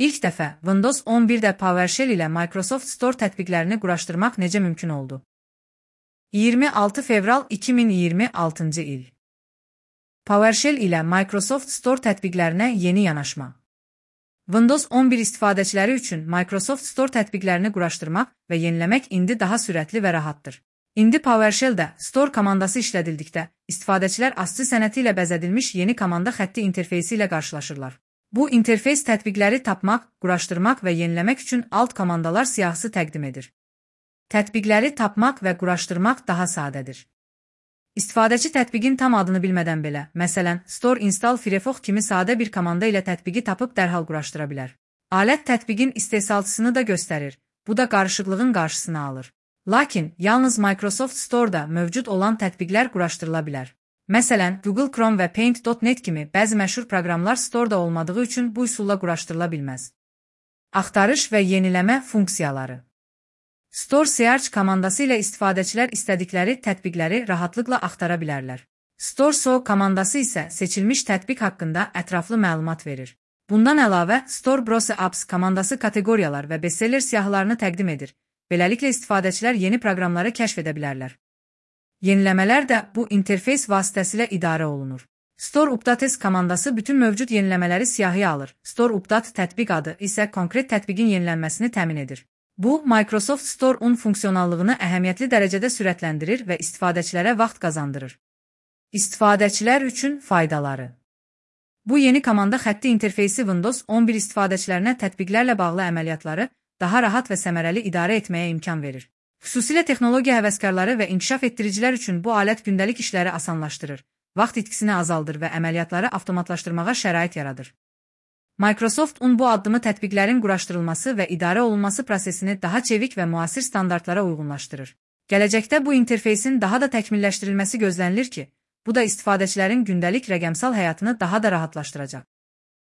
İlk dəfə Windows 11-də PowerShell ilə Microsoft Store tətbiqlərini quraşdırmaq necə mümkün oldu? 26 fevral 2026-cı il. PowerShell ilə Microsoft Store tətbiqlərinə yeni yanaşma. Windows 11 istifadəçiləri üçün Microsoft Store tətbiqlərini quraşdırmaq və yeniləmək indi daha sürətli və rahatdır. İndi PowerShell-də Store komandası işlədildikdə, istifadəçilər ASCII sənəti ilə bəzədilmiş yeni komanda xətti interfeysi ilə qarşılaşırlar. Bu interfeys tətbiqləri tapmaq, quraşdırmaq və yeniləmək üçün alt komandalar siyahısı təqdim edir. Tətbiqləri tapmaq və quraşdırmaq daha sadədir. İstifadəçi tətbiqin tam adını bilmədən belə, məsələn, Store Install Firefox kimi sadə bir komanda ilə tətbiqi tapıb dərhal quraşdıra bilər. Alət tətbiqin istehsalçısını da göstərir, bu da qarışıqlığın qarşısını alır. Lakin, yalnız Microsoft Store-da mövcud olan tətbiqlər quraşdırıla bilər. Məsələn, Google Chrome və Paint.net kimi bəzi məşhur proqramlar Store-da olmadığı üçün bu üsulla quraşdırıla bilməz. Axtarış və yeniləmə funksiyaları. Store Search komandası ilə istifadəçilər istədikləri tətbiqləri rahatlıqla axtara bilərlər. Store So komandası isə seçilmiş tətbiq haqqında ətraflı məlumat verir. Bundan əlavə, Store Browse Apps komandası kateqoriyalar və bestseller siyahılarını təqdim edir. Beləliklə istifadəçilər yeni proqramları kəşf edə bilərlər. Yeniləmələr də bu interfeys vasitəsilə idarə olunur. Store Updates komandası bütün mövcud yeniləmələri siyahıya alır. Store Update tətbiq adı isə konkret tətbiqin yenilənməsini təmin edir. Bu, Microsoft Store-un funksionallığını əhəmiyyətli dərəcədə sürətləndirir və istifadəçilərə vaxt qazandırır. İstifadəçilər üçün faydaları. Bu yeni komanda xətti interfeysi Windows 11 istifadəçilərinə tətbiqlərlə bağlı əməliyyatları daha rahat və səmərəli idarə etməyə imkan verir. Xüsusilə texnologiya həvəskarları və inkişaf etdiricilər üçün bu alət gündəlik işləri asanlaşdırır, vaxt itkisini azaldır və əməliyyatları avtomatlaşdırmağa şərait yaradır. Microsoft-un bu addımı tətbiqlərin quraşdırılması və idarə olunması prosesini daha çevik və müasir standartlara uyğunlaşdırır. Gələcəkdə bu interfeysin daha da təkmilləşdirilməsi gözlənilir ki, bu da istifadəçilərin gündəlik rəqəmsal həyatını daha da rahatlaşdıracaq.